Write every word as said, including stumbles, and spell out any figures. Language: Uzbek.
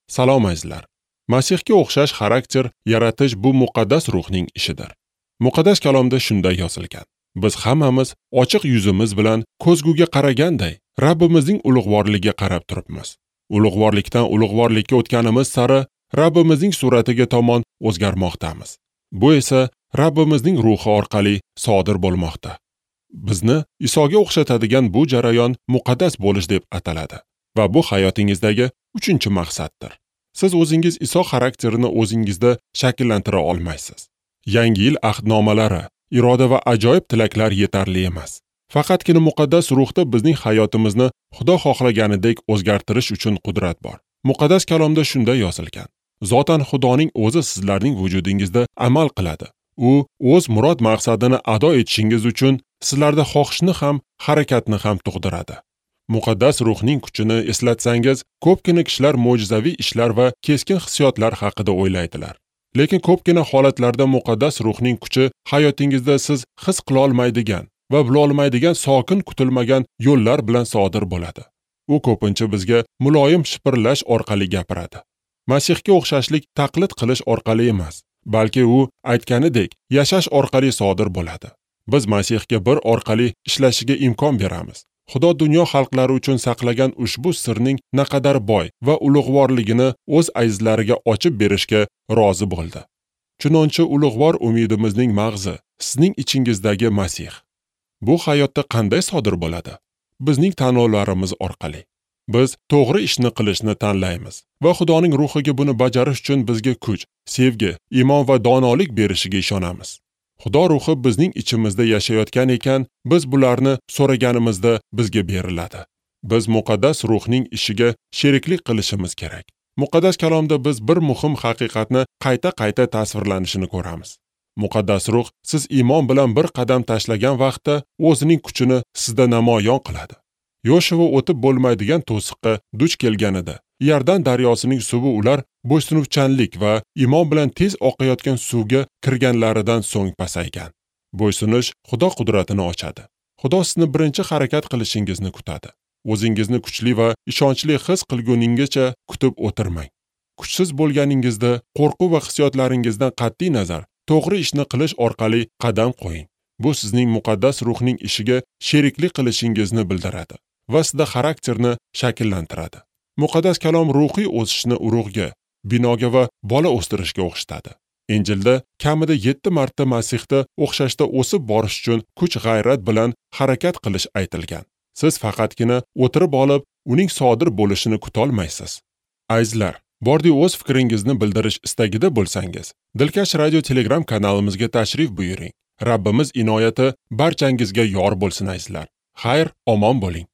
Salom azizlar. Masihga o'xshash xarakter yaratish bu muqaddas ruhning ishidir. Muqaddas kalomda shunday yozilgan: Biz hammamiz ochiq yuzimiz bilan ko'zguga qaraganday Rabbimizning ulug'vorligiga qarab turibmiz. Ulug'vorlikdan ulug'vorlikka o'tganimiz sari Rabbimizning suratiga tomon o'zgarmoqdamiz. Bu esa Rabbimizning ruhi orqali sodir bo'lmoqda. Bizni Isoga o'xshatadigan bu jarayon muqaddas bo'lish deb ataladi va bu hayotingizdagi uchinchi maqsaddir. Siz o'zingiz Iso xarakterini o'zingizda shakllantira olmaysiz. Yangi yil ahdnomalari, iroda va ajoyib tilaklar yetarli emas. Faqatgina muqaddas ruhda bizning hayotimizni Xudo xohlaganidek o'zgartirish uchun qudrat bor. Muqaddas kalomda shunday yozilgan: Zotan Xudoning o'zi sizlarning vujudingizda amal qiladi. U o'z murod maqsadini ado etishingiz uchun sizlarda xohishni ham, harakatni ham tug'diradi. Muqaddas ruhning kuchini eslatsangiz, ko'pgina kishilar mo'jizaviy ishlar va keskin hissiyotlar haqida o'ylaydilar. Lekin ko'pgina holatlarda muqaddas ruhning kuchi hayotingizda siz his qila olmaydigan va bila olmaydigan sokin kutilmagan yo'llar bilan sodir bo'ladi. U ko'pincha bizga muloyim shipirlash orqali gapiradi. Masihga o'xshashlik taqlid qilish orqali emas, balki u aytganidek yashash orqali sodir bo'ladi. Biz Masihga bir orqali ishlashiga imkon beramiz. Xudo dunyo xalqlari uchun saqlagan ushbu sirning naqadar boy va ulug'vorligini o'z azizlariga ochib berishga rozi bo'ldi. Chunonchi ulug'vor umidimizning mag'zi sizning ichingizdagi Masih. Bu hayotda qanday sodir bo'ladi? Bizning tanlovlarimiz orqali. Biz to'g'ri ishni qilishni tanlaymiz va Xudoning ruhiga buni bajarish uchun bizga kuch, sevgi, iymon va donolik berishiga ishonamiz. Xudo ruhi bizning ichimizda yashayotgan ekan, biz bularni so'raganimizda bizga beriladi. Biz muqaddas ruhning ishiga sheriklik qilishimiz kerak. Muqaddas kalomda biz bir muhim haqiqatni qayta-qayta tasvirlanishini ko'ramiz. Muqaddas ruh siz iymon bilan bir qadam tashlagan vaqtda o'zining kuchini sizda namoyon qiladi. Yoshua o'tib bo'lmaydigan to'siqqa duch kelganida, Iordan daryosining suvi ular bo'ysunuvchanlik va iymon bilan tez oqayotgan suvga kirganlaridan so'ng pasaygan. Bo'ysunish Xudo qudratini ochadi. Xudo sizni birinchi harakat qilishingizni kutadi. O'zingizni kuchli va ishonchli his qilguningizcha kutib o'tirmang. Kuchsiz bo'lganingizda qo'rquv va hissiyotlaringizdan qat'iy nazar to'g'ri ishni qilish orqali qadam qo'ying. Bu sizning muqaddas ruhning ishiga sheriklik qilishingizni bildiradi va sizda xarakterni shakllantiradi. Muqaddas kalom ruhiy o'sishni urug'ga, binoga va bola o'stirishga o'xshatadi. Injilda kamida yetti marta Masihda o'xshashda o'sib borish uchun kuch-g'ayrat bilan harakat qilish aytilgan. Siz faqatgina o'tirib olib, uning sodir bo'lishini kutolmaysiz. Azizlar, bordi o'z fikringizni bildirish istagida bo'lsangiz, Dilkash Radio Telegram kanalimizga tashrif buyuring. Rabbimiz inoyati barchangizga yor bo'lsin azizlar. Xayr, omon bo'ling.